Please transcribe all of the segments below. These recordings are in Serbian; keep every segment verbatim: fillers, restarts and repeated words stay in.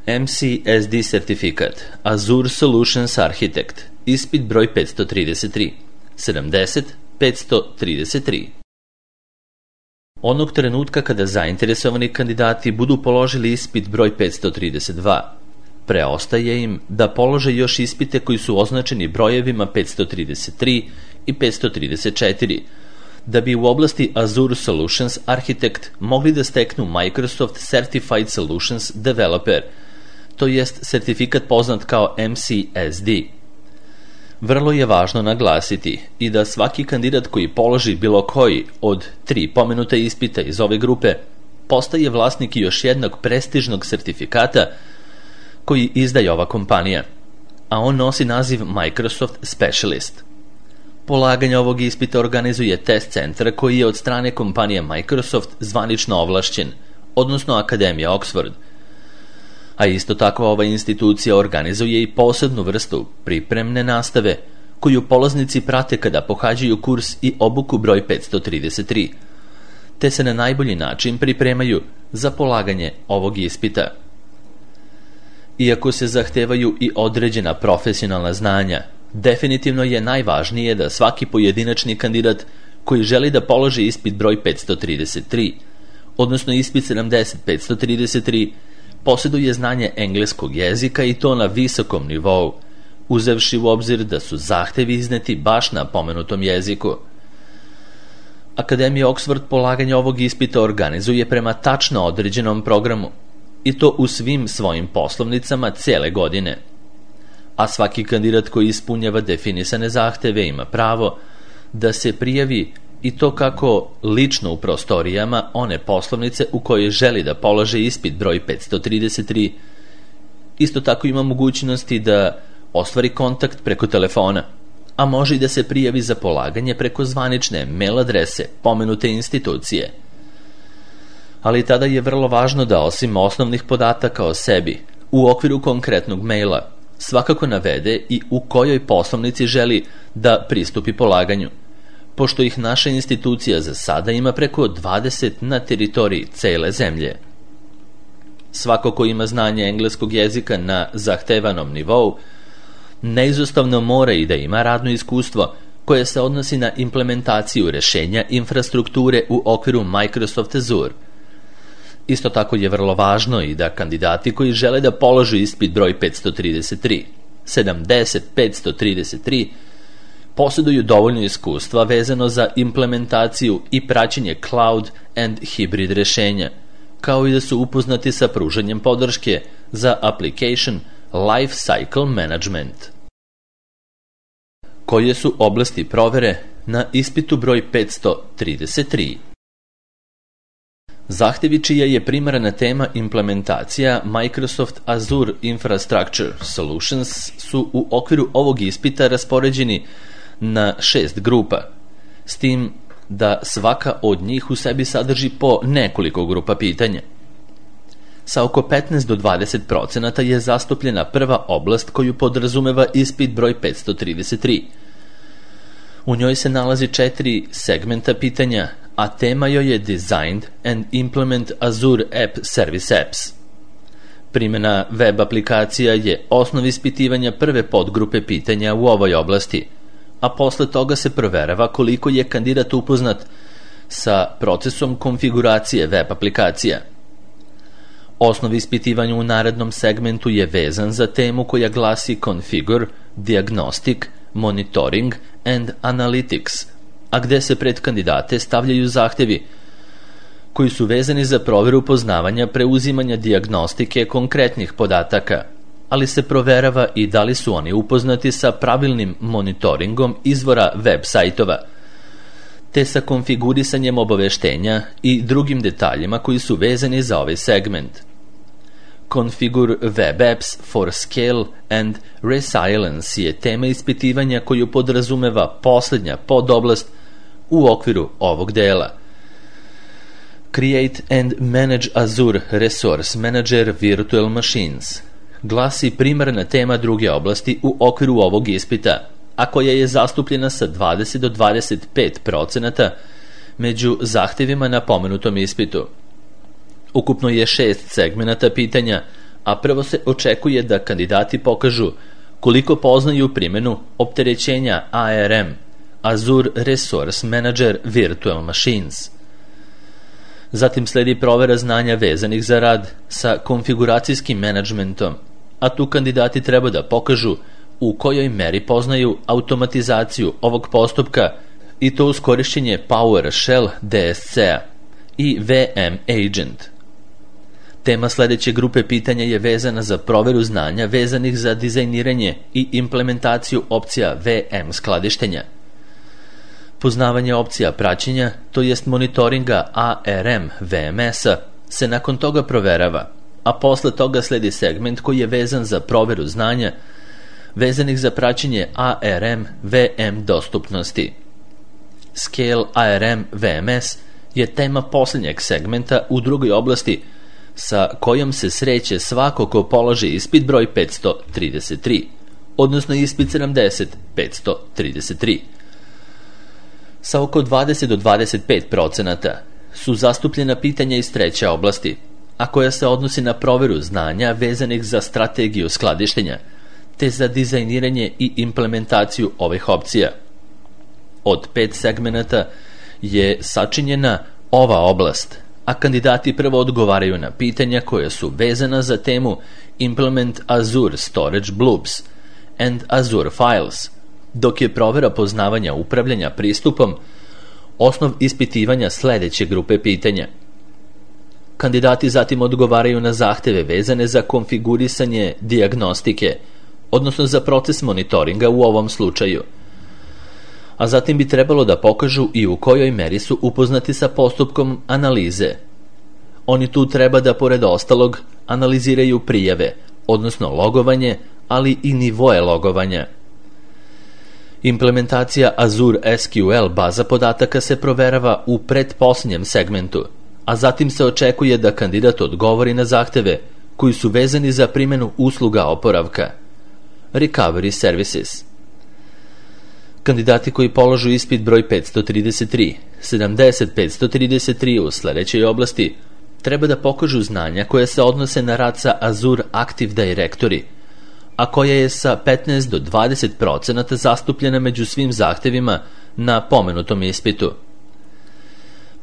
M C S D sertifikat Azure Solutions Architect, ispit broj petsto trideset tri, sedamdeset petsto trideset tri. Onog trenutka kada zainteresovani kandidati budu položili ispit broj petsto trideset dva, preostaje im da polože još ispite koji su označeni brojevima petsto trideset tri i petsto trideset četiri, da bi u oblasti Azure Solutions Architect mogli da steknu Microsoft Certified Solutions Developer, to jest sertifikat poznat kao M C S D. Vrlo je važno naglasiti i da svaki kandidat koji položi bilo koji od tri pomenuta ispita iz ove grupe postaje vlasnik još jednog prestižnog sertifikata koji izdaje ova kompanija, a on nosi naziv Microsoft Specialist. Polaganje ovog ispita organizuje test centar koji je od strane kompanije Microsoft zvanično ovlašćen, odnosno Akademija Oxford. A isto tako ova institucija organizuje i posebnu vrstu pripremne nastave koju polaznici prate kada pohađaju kurs i obuku broj petsto trideset tri, te se na najbolji način pripremaju za polaganje ovog ispita. Iako se zahtevaju i određena profesionalna znanja, definitivno je najvažnije da svaki pojedinačni kandidat koji želi da položi ispit broj petsto trideset tri, odnosno ispit sedamdeset petsto trideset tri, posjeduje znanje engleskog jezika i to na visokom nivou, uzevši u obzir da su zahtevi izneti baš na pomenutom jeziku. Akademija Oxford polaganje ovog ispita organizuje prema tačno određenom programu, i to u svim svojim poslovnicama cele godine. A svaki kandidat koji ispunjava definisane zahteve ima pravo da se prijavi i to kako lično u prostorijama one poslovnice u kojoj želi da polože ispit broj petsto trideset tri. Isto tako ima mogućnosti da ostvari kontakt preko telefona, a može i da se prijavi za polaganje preko zvanične mail adrese pomenute institucije. Ali tada je vrlo važno da osim osnovnih podataka o sebi, u okviru konkretnog maila, svakako navede i u kojoj poslovnici želi da pristupi polaganju, pošto ih naša institucija za sada ima preko dvadeset na teritoriji cele zemlje. Svako ko ima znanje engleskog jezika na zahtevanom nivou, neizostavno mora i da ima radno iskustvo koje se odnosi na implementaciju rešenja infrastrukture u okviru Microsoft Azure. Isto tako je vrlo važno i da kandidati koji žele da položu ispit broj petsto trideset tri, sedamdeset petsto trideset tri, posjeduju dovoljno iskustva vezano za implementaciju i praćenje cloud and hybrid rešenja, kao i da su upoznati sa pružanjem podrške za application life cycle management. Koje su oblasti provere na ispitu broj petsto trideset tri? Zahtevi čija je primarna tema implementacija Microsoft Azure Infrastructure Solutions su u okviru ovog ispita raspoređeni na šest grupa, s tim da svaka od njih u sebi sadrži po nekoliko grupa pitanja. Sa oko petnaest do dvadeset procenata je zastupljena prva oblast koju podrazumeva ispit broj petsto trideset tri. U njoj se nalazi četiri segmenta pitanja, a tema joj je Designed and Implement Azure App Service Apps. Primjena web aplikacija je osnov ispitivanja prve podgrupe pitanja u ovoj oblasti, a posle toga se proverava koliko je kandidat upoznat sa procesom konfiguracije web aplikacija. Osnov ispitivanja u narednom segmentu je vezan za temu koja glasi Configure, Diagnostic, Monitoring and Analytics, a gde se pred kandidate stavljaju zahtevi koji su vezani za proveru poznavanja preuzimanja dijagnostike konkretnih podataka, ali se proverava i da li su oni upoznati sa pravilnim monitoringom izvora web sajtova, te sa konfigurisanjem obaveštenja i drugim detaljima koji su vezani za ovaj segment. Configure Web Apps for Scale and Resilience je tema ispitivanja koju podrazumeva posljednja podoblast u okviru ovog dela. Create and Manage Azure Resource Manager Virtual Machines glasi primarna tema druge oblasti u okviru ovog ispita, a koja je zastupljena sa dvadeset do dvadeset pet procenata među zahtevima na pomenutom ispitu. Ukupno je šest segmenata pitanja, a prvo se očekuje da kandidati pokažu koliko poznaju primjenu opterećenja A R M, Azure Resource Manager Virtual Machines. Zatim sledi provera znanja vezanih za rad sa konfiguracijskim menadžmentom, a tu kandidati treba da pokažu u kojoj meri poznaju automatizaciju ovog postupka i to uz korišćenje PowerShell D S C-a i V M Agent. Tema sledeće grupe pitanja je vezana za proveru znanja vezanih za dizajniranje i implementaciju opcija V M skladištenja. Poznavanje opcija praćenja, to jest monitoringa A R M V M S-a, se nakon toga proverava, a posle toga sledi segment koji je vezan za proveru znanja vezanih za praćenje A R M V M dostupnosti. Scale A R M V M S je tema posljednjeg segmenta u drugoj oblasti sa kojom se sreće svako ko položi ispit broj petsto trideset tri, odnosno ispit sedamdeset petsto trideset tri. Sa oko dvadeset do dvadeset pet procenata su zastupljena pitanja iz treće oblasti, a koja se odnosi na proveru znanja vezanih za strategiju skladištenja, te za dizajniranje i implementaciju ovih opcija. Od pet segmenata je sačinjena ova oblast, a kandidati prvo odgovaraju na pitanja koja su vezana za temu Implement Azure Storage Blobs and Azure Files, dok je provera poznavanja upravljanja pristupom osnov ispitivanja sledeće grupe pitanja. Kandidati zatim odgovaraju na zahteve vezane za konfigurisanje dijagnostike, odnosno za proces monitoringa u ovom slučaju. A zatim bi trebalo da pokažu i u kojoj meri su upoznati sa postupkom analize. Oni tu treba da, pored ostalog, analiziraju prijave, odnosno logovanje, ali i nivoe logovanja. Implementacija Azure S Q L baza podataka se proverava u pretposljednjem segmentu, a zatim se očekuje da kandidat odgovori na zahteve koji su vezani za primjenu usluga oporavka, Recovery Services. Kandidati koji položu ispit broj petsto trideset tri, sedamdeset petsto trideset tri u sledećoj oblasti treba da pokažu znanja koje se odnose na rad sa Azure Active Directory, a koja je sa petnaest do dvadeset procenata zastupljena među svim zahtevima na pomenutom ispitu.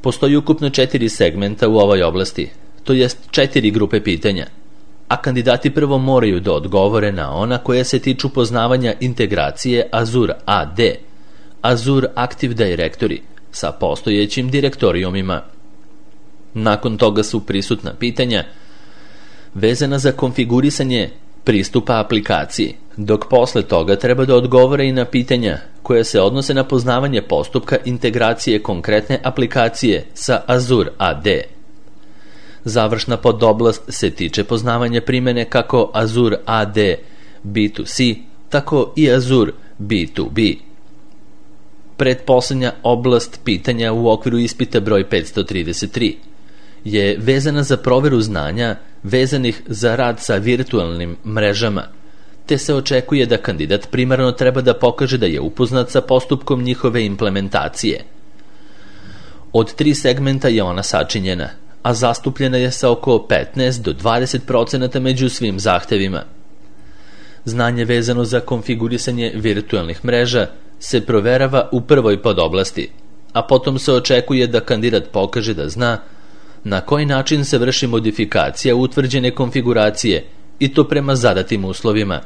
Postoji ukupno četiri segmenta u ovoj oblasti, to jest četiri grupe pitanja, a kandidati prvo moraju da odgovore na ona koja se tiču poznavanja integracije Azure A D, Azure Active Directory, sa postojećim direktorijumima. Nakon toga su prisutna pitanja vezana za konfigurisanje pristupa aplikaciji, dok posle toga treba da odgovore i na pitanja koja se odnose na poznavanje postupka integracije konkretne aplikacije sa Azure A D. Završna podoblast se tiče poznavanja primjene kako Azure A D B dva C, tako i Azure B dva B. Pretposlednja oblast pitanja u okviru ispita broj petsto trideset tri je vezana za proveru znanja vezanih za rad sa virtualnim mrežama, te se očekuje da kandidat primarno treba da pokaže da je upoznat sa postupkom njihove implementacije. Od tri segmenta je ona sačinjena, a zastupljena je sa oko petnaest do dvadeset procenata među svim zahtevima. Znanje vezano za konfigurisanje virtualnih mreža se proverava u prvoj podoblasti, a potom se očekuje da kandidat pokaže da zna na koji način se vrši modifikacija utvrđene konfiguracije i to prema zadatim uslovima.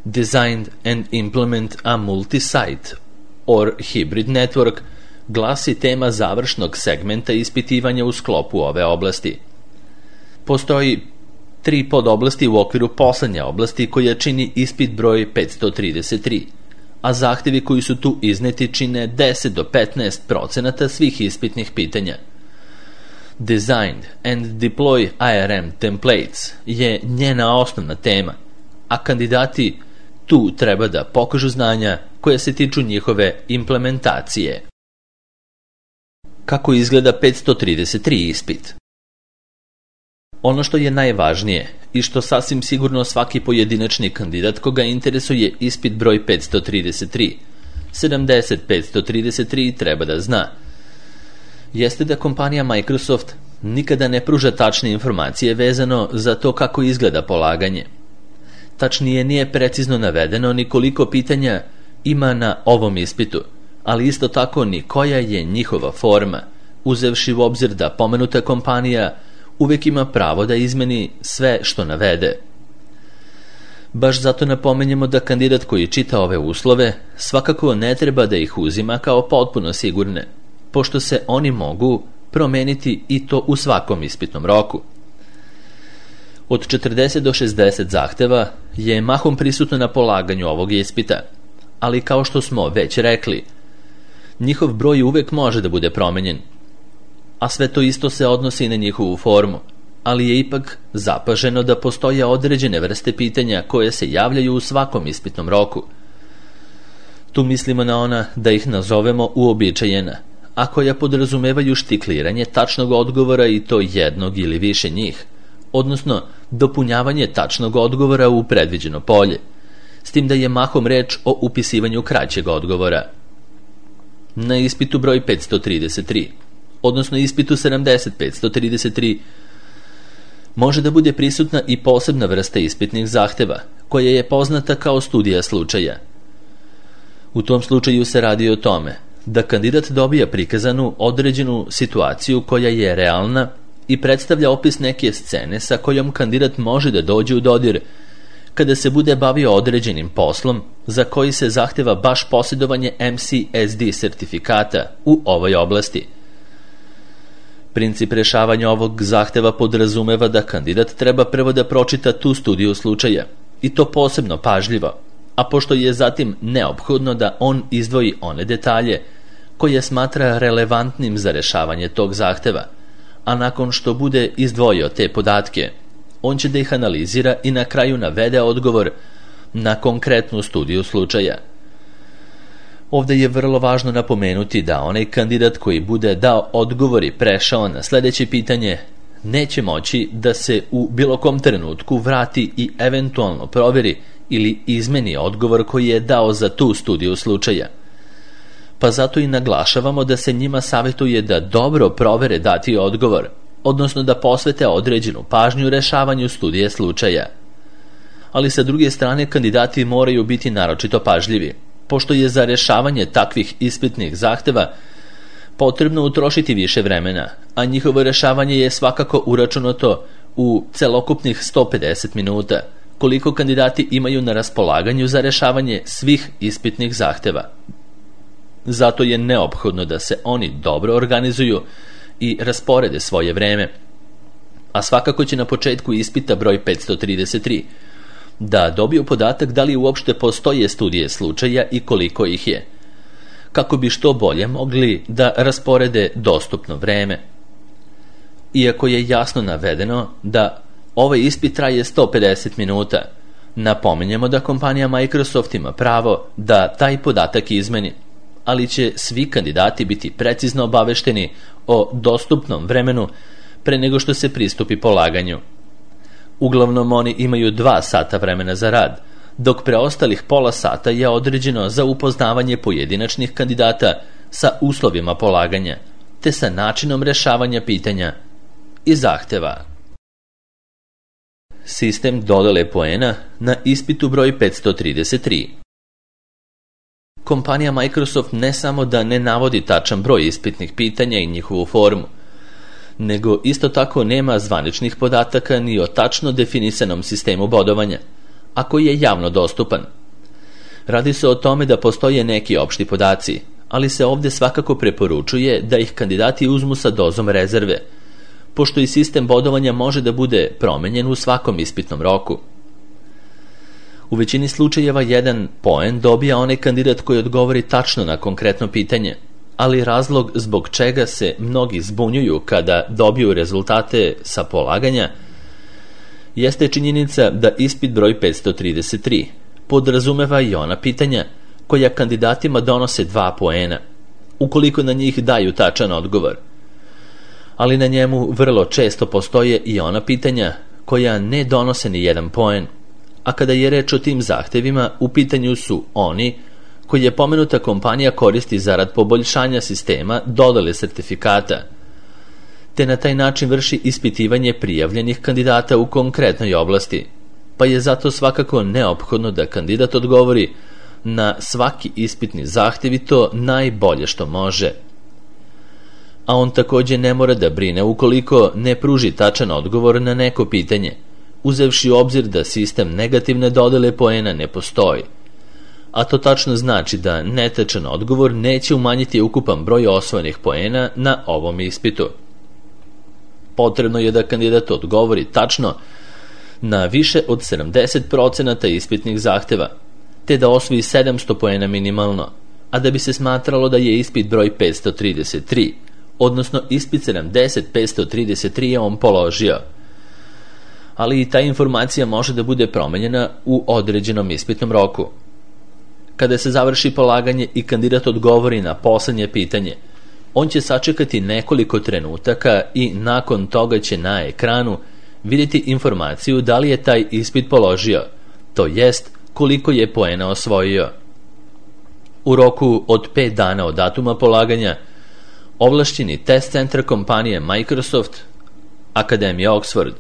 Designed and implement a multi-site or hybrid network glasi tema završnog segmenta ispitivanja u sklopu ove oblasti. Postoji tri podoblasti u okviru poslednje oblasti koja čini ispit broj petsto trideset tri, a zahtevi koji su tu izneti čine deset do petnaest procenata svih ispitnih pitanja. Designed and deploy A R M templates je njena osnovna tema, a kandidati tu treba da pokažu znanja koje se tiču njihove implementacije. Kako izgleda petsto trideset tri ispit? Ono što je najvažnije i što sasvim sigurno svaki pojedinačni kandidat koga interesuje ispit broj petsto trideset tri, sedamdeset petsto trideset tri treba da zna, jeste da kompanija Microsoft nikada ne pruža tačne informacije vezano za to kako izgleda polaganje. Tačnije, nije precizno navedeno ni koliko pitanja ima na ovom ispitu, ali isto tako ni koja je njihova forma, uzevši u obzir da pomenuta kompanija uvek ima pravo da izmeni sve što navede. Baš zato napomenjemo da kandidat koji čita ove uslove svakako ne treba da ih uzima kao potpuno sigurne, pošto se oni mogu promeniti i to u svakom ispitnom roku. Od četrdeset do šezdeset zahteva je mahom prisutno na polaganju ovog ispita, ali kao što smo već rekli, njihov broj uvek može da bude promenjen, a sve to isto se odnosi i na njihovu formu, ali je ipak zapaženo da postoje određene vrste pitanja koje se javljaju u svakom ispitnom roku. Tu mislimo na ona, da ih nazovemo, uobičajena, a koja podrazumevaju štikliranje tačnog odgovora i to jednog ili više njih, odnosno dopunjavanje tačnog odgovora u predviđeno polje, s tim da je mahom reč o upisivanju kraćeg odgovora. Na ispitu broj petsto trideset tri, odnosno ispitu sedamdeset petsto trideset tri, može da bude prisutna i posebna vrsta ispitnih zahteva, koja je poznata kao studija slučaja. U tom slučaju se radi o tome da kandidat dobija prikazanu određenu situaciju koja je realna i predstavlja opis neke scene sa kojom kandidat može da dođe u dodir kada se bude bavio određenim poslom za koji se zahteva baš posjedovanje M C S D sertifikata u ovoj oblasti. Princip rešavanja ovog zahteva podrazumeva da kandidat treba prvo da pročita tu studiju slučaja, i to posebno pažljivo, a pošto je zatim neophodno da on izdvoji one detalje koje smatra relevantnim za rešavanje tog zahteva, a nakon što bude izdvojio te podatke, on će da ih analizira i na kraju navede odgovor na konkretnu studiju slučaja. Ovde je vrlo važno napomenuti da onaj kandidat koji bude dao odgovor i prešao na sledeće pitanje neće moći da se u bilo kom trenutku vrati i eventualno proveri ili izmeni odgovor koji je dao za tu studiju slučaja. Pa zato i naglašavamo da se njima savjetuje da dobro provere dati odgovor, odnosno da posvete određenu pažnju rešavanju studije slučaja. Ali sa druge strane kandidati moraju biti naročito pažljivi, pošto je za rešavanje takvih ispitnih zahteva potrebno utrošiti više vremena, a njihovo rešavanje je svakako uračunato u celokupnih sto pedeset minuta, koliko kandidati imaju na raspolaganju za rešavanje svih ispitnih zahteva. Zato je neophodno da se oni dobro organizuju i rasporede svoje vreme, a svakako će na početku ispita broj petsto trideset tri da dobiju podatak da li uopšte postoje studije slučaja i koliko ih je, kako bi što bolje mogli da rasporede dostupno vreme. Iako je jasno navedeno da ovaj ispit traje sto pedeset minuta, napominjemo da kompanija Microsoft ima pravo da taj podatak izmeni, ali će svi kandidati biti precizno obavešteni o dostupnom vremenu pre nego što se pristupi polaganju. Uglavnom oni imaju dva sata vremena za rad, dok preostalih pola sata je određeno za upoznavanje pojedinačnih kandidata sa uslovima polaganja, te sa načinom rešavanja pitanja i zahteva. Sistem dodele poena na ispitu broj petsto trideset tri. Kompanija Microsoft ne samo da ne navodi tačan broj ispitnih pitanja i njihovu formu, nego isto tako nema zvaničnih podataka ni o tačno definisanom sistemu bodovanja, a koji je javno dostupan. Radi se o tome da postoje neki opšti podaci, ali se ovde svakako preporučuje da ih kandidati uzmu sa dozom rezerve, pošto i sistem bodovanja može da bude promenjen u svakom ispitnom roku. U većini slučajeva jedan poen dobija onaj kandidat koji odgovori tačno na konkretno pitanje, ali razlog zbog čega se mnogi zbunjuju kada dobiju rezultate sa polaganja jeste činjenica da ispit broj petsto trideset tri podrazumeva i ona pitanja koja kandidatima donose dva poena, ukoliko na njih daju tačan odgovor. Ali na njemu vrlo često postoje i ona pitanja koja ne donose ni jedan poen, a kada je reč o tim zahtevima, u pitanju su oni koji je pomenuta kompanija koristi zarad poboljšanja sistema dodele sertifikata, te na taj način vrši ispitivanje prijavljenih kandidata u konkretnoj oblasti, pa je zato svakako neophodno da kandidat odgovori na svaki ispitni zahtev i to najbolje što može. A on takođe ne mora da brine ukoliko ne pruži tačan odgovor na neko pitanje, uzevši u obzir da sistem negativne dodele poena ne postoji. A to tačno znači da netačan odgovor neće umanjiti ukupan broj osvojenih poena na ovom ispitu. Potrebno je da kandidat odgovori tačno na više od sedamdeset procenata ispitnih zahteva, te da osvoji sedamsto poena minimalno, a da bi se smatralo da je ispit broj petsto trideset tri, odnosno ispit sedamdeset petsto trideset tri je on položio. Ali i ta informacija može da bude promenjena u određenom ispitnom roku. Kada se završi polaganje i kandidat odgovori na poslednje pitanje, on će sačekati nekoliko trenutaka i nakon toga će na ekranu vidjeti informaciju da li je taj ispit položio, to jest koliko je poena osvojio. U roku od pet dana od datuma polaganja, ovlašćeni test centar kompanije Microsoft, Akademija Oxford,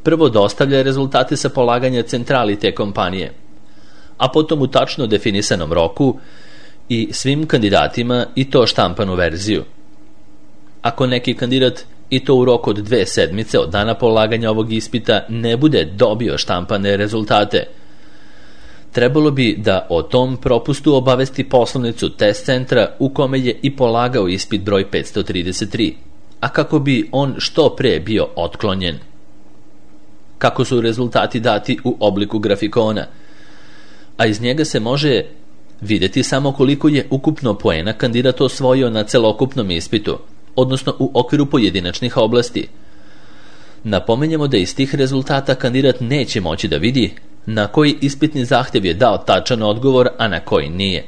prvo dostavlja rezultate sa polaganja centrali te kompanije, a potom u tačno definisanom roku i svim kandidatima i to štampanu verziju. Ako neki kandidat i to u roku od dve sedmice od dana polaganja ovog ispita ne bude dobio štampane rezultate, trebalo bi da o tom propustu obavesti poslovnicu test centra u kome je i polagao ispit broj petsto trideset tri, a kako bi on što pre bio otklonjen. Kako su rezultati dati u obliku grafikona, a iz njega se može videti samo koliko je ukupno poena kandidat osvojio na celokupnom ispitu, odnosno u okviru pojedinačnih oblasti. Napomenjamo da iz tih rezultata kandidat neće moći da vidi na koji ispitni zahtev je dao tačan odgovor, a na koji nije.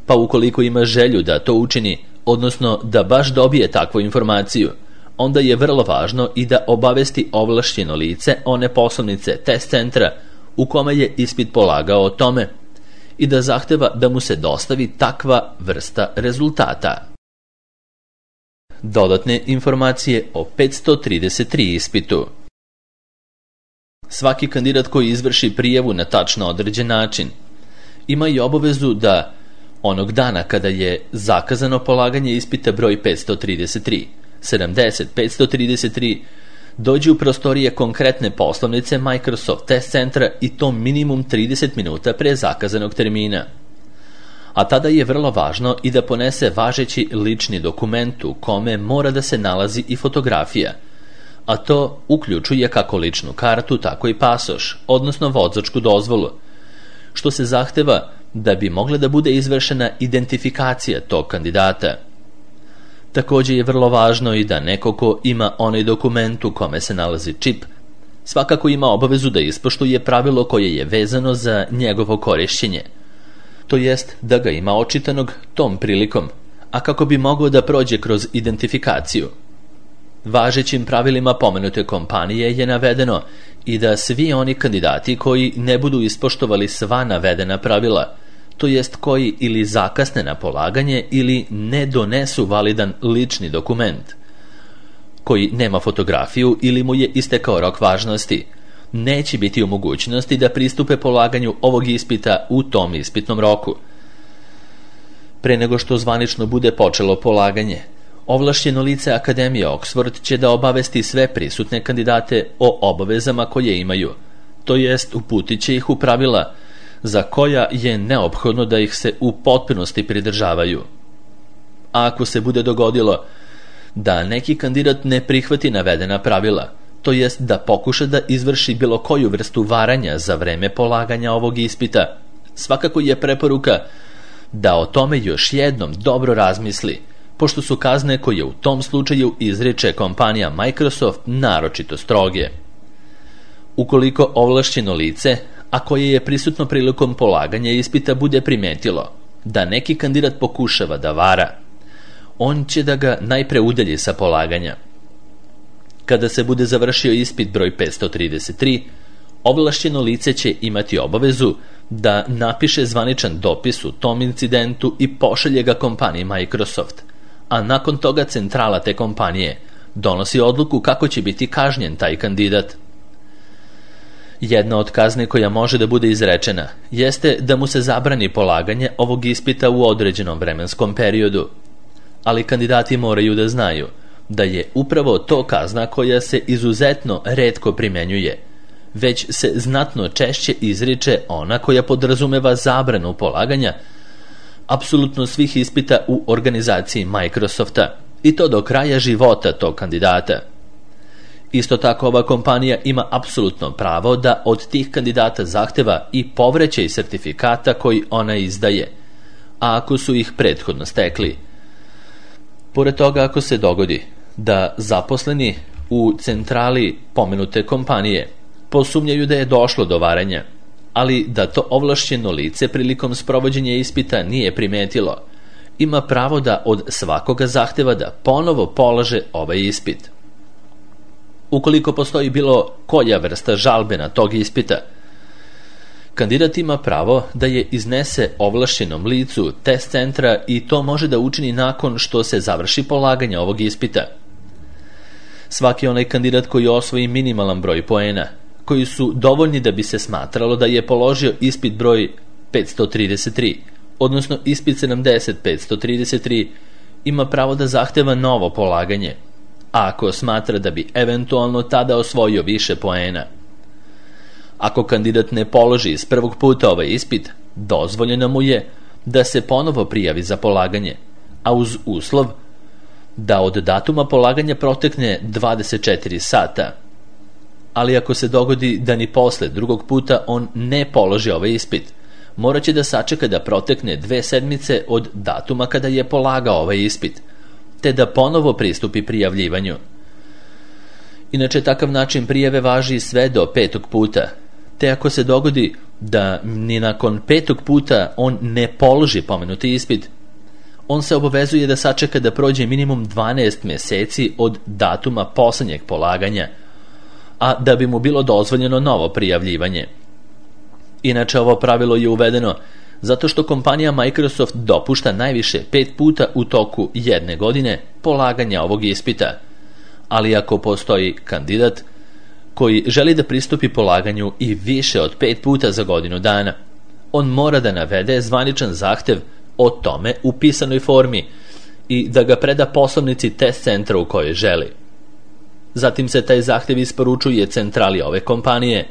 Pa ukoliko ima želju da to učini, odnosno da baš dobije takvu informaciju, onda je vrlo važno i da obavesti ovlašćeno lice one poslovnice test centra u kome je ispit polagao o tome i da zahteva da mu se dostavi takva vrsta rezultata. Dodatne informacije o petsto trideset tri ispitu. Svaki kandidat koji izvrši prijavu na tačno određen način ima i obavezu da onog dana kada je zakazano polaganje ispita broj petsto trideset tri, sedamdeset petsto trideset tri, dođe u prostorije konkretne poslovnice Microsoft test centra i to minimum trideset minuta pre zakazanog termina. A tada je vrlo važno i da ponese važeći lični dokument u kome mora da se nalazi i fotografija, a to uključuje kako ličnu kartu, tako i pasoš, odnosno vozačku dozvolu, što se zahteva da bi mogla da bude izvršena identifikacija tog kandidata. Takođe je vrlo važno i da neko ko ima onaj dokument u kome se nalazi čip, svakako ima obavezu da ispoštuje pravilo koje je vezano za njegovo korišćenje, to jest da ga ima očitanog tom prilikom, a kako bi mogao da prođe kroz identifikaciju. Važećim pravilima pomenute kompanije je navedeno i da svi oni kandidati koji ne budu ispoštovali sva navedena pravila, to jest koji ili zakasne na polaganje ili ne donesu validan lični dokument, koji nema fotografiju ili mu je istekao rok važnosti, neće biti u mogućnosti da pristupe polaganju ovog ispita u tom ispitnom roku. Pre nego što zvanično bude počelo polaganje, ovlašćeno lice Akademije Oxford će da obavesti sve prisutne kandidate o obavezama koje imaju, to jest uputit će ih u pravila za koja je neophodno da ih se u potpunosti pridržavaju. A ako se bude dogodilo da neki kandidat ne prihvati navedena pravila, to jest da pokuša da izvrši bilo koju vrstu varanja za vreme polaganja ovog ispita, svakako je preporuka da o tome još jednom dobro razmisli, pošto su kazne koje u tom slučaju izriče kompanija Microsoft naročito stroge. Ukoliko ovlašćeno lice, a koje je prisutno prilikom polaganja ispita, bude primetilo da neki kandidat pokušava da vara, on će da ga najpre udalji sa polaganja. Kada se bude završio ispit broj petsto trideset tri, ovlašćeno lice će imati obavezu da napiše zvaničan dopis u tom incidentu i pošalje ga kompaniji Microsoft, a nakon toga centrala te kompanije donosi odluku kako će biti kažnjen taj kandidat. Jedna od kazne koja može da bude izrečena jeste da mu se zabrani polaganje ovog ispita u određenom vremenskom periodu, ali kandidati moraju da znaju da je upravo to kazna koja se izuzetno retko primenjuje, već se znatno češće izriče ona koja podrazumeva zabranu polaganja apsolutno svih ispita u organizaciji Microsofta, i to do kraja života tog kandidata. Isto tako, ova kompanija ima apsolutno pravo da od tih kandidata zahteva i povraćaj sertifikata koji ona izdaje, a ako su ih prethodno stekli. Pored toga, ako se dogodi da zaposleni u centrali pomenute kompanije posumnjaju da je došlo do varanja, ali da to ovlašćeno lice prilikom sprovođenja ispita nije primetilo, ima pravo da od svakoga zahteva da ponovo polaže ovaj ispit. Ukoliko postoji bilo koja vrsta žalbe na tog ispita, kandidat ima pravo da je iznese ovlašćenom licu test centra i to može da učini nakon što se završi polaganje ovog ispita. Svaki onaj kandidat koji osvoji minimalan broj poena, koji su dovoljni da bi se smatralo da je položio ispit broj petsto trideset tri, odnosno ispit sedamdeset petsto trideset tri, ima pravo da zahteva novo polaganje, a ako smatra da bi eventualno tada osvojio više poena. Ako kandidat ne položi iz prvog puta ovaj ispit, dozvoljeno mu je da se ponovo prijavi za polaganje, a uz uslov da od datuma polaganja protekne dvadeset četiri sata. Ali ako se dogodi da ni posle drugog puta on ne položi ovaj ispit, morat će da sačeka da protekne dve sedmice od datuma kada je polagao ovaj ispit, te da ponovo pristupi prijavljivanju. Inače, takav način prijave važi sve do petog puta, te ako se dogodi da ni nakon petog puta on ne položi pomenuti ispit, on se obavezuje da sačeka da prođe minimum dvanaest meseci od datuma poslednjeg polaganja, a da bi mu bilo dozvoljeno novo prijavljivanje. Inače, ovo pravilo je uvedeno zato što kompanija Microsoft dopušta najviše pet puta u toku jedne godine polaganja ovog ispita, ali ako postoji kandidat koji želi da pristupi polaganju i više od pet puta za godinu dana, on mora da navede zvaničan zahtev o tome u pisanoj formi i da ga preda poslovnici test centra u kojoj želi. Zatim se taj zahtev isporučuje centrali ove kompanije,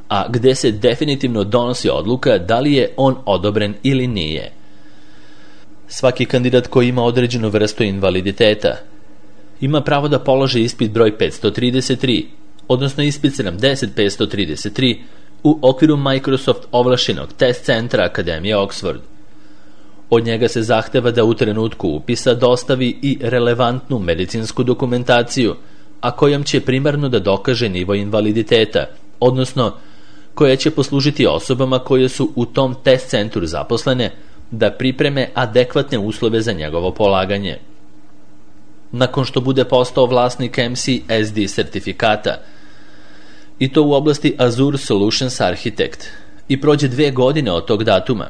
a gde se definitivno donosi odluka da li je on odobren ili nije. Svaki kandidat koji ima određenu vrstu invaliditeta ima pravo da položi ispit broj petsto trideset tri, odnosno ispit sedamdeset petsto trideset tri u okviru Microsoft ovlašćenog test centra Akademije Oxford. Od njega se zahteva da u trenutku upisa dostavi i relevantnu medicinsku dokumentaciju, a kojom će primarno da dokaže nivo invaliditeta, odnosno koja će poslužiti osobama koje su u tom test centru zaposlene da pripreme adekvatne uslove za njegovo polaganje. Nakon što bude postao vlasnik M C S D sertifikata, i to u oblasti Azure Solutions Architect, i prođe dve godine od tog datuma,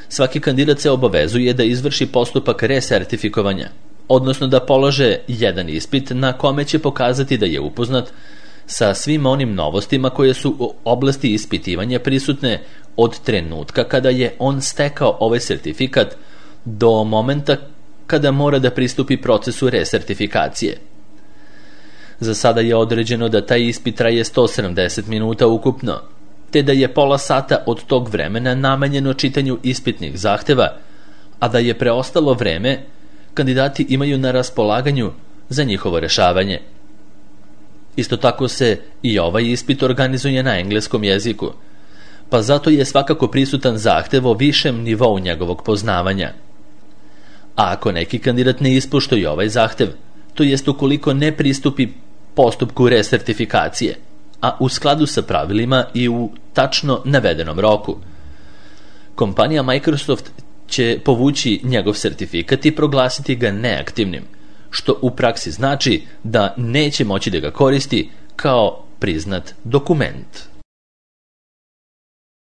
svaki kandidat se obavezuje da izvrši postupak resertifikovanja, odnosno da polože jedan ispit na kome će pokazati da je upoznat sa svim onim novostima koje su u oblasti ispitivanja prisutne od trenutka kada je on stekao ovaj sertifikat do momenta kada mora da pristupi procesu resertifikacije. Za sada je određeno da taj ispit traje sto sedamdeset minuta ukupno, te da je pola sata od tog vremena namenjeno čitanju ispitnih zahteva, a da je preostalo vreme kandidati imaju na raspolaganju za njihovo rešavanje. Isto tako se i ovaj ispit organizuje na engleskom jeziku, pa zato je svakako prisutan zahtev o višem nivou njegovog poznavanja. A ako neki kandidat ne ispoštuje ovaj zahtev, to jest ukoliko ne pristupi postupku resertifikacije, a u skladu sa pravilima i u tačno navedenom roku, kompanija Microsoft će povući njegov sertifikat i proglasiti ga neaktivnim, što u praksi znači da neće moći da ga koristi kao priznat dokument.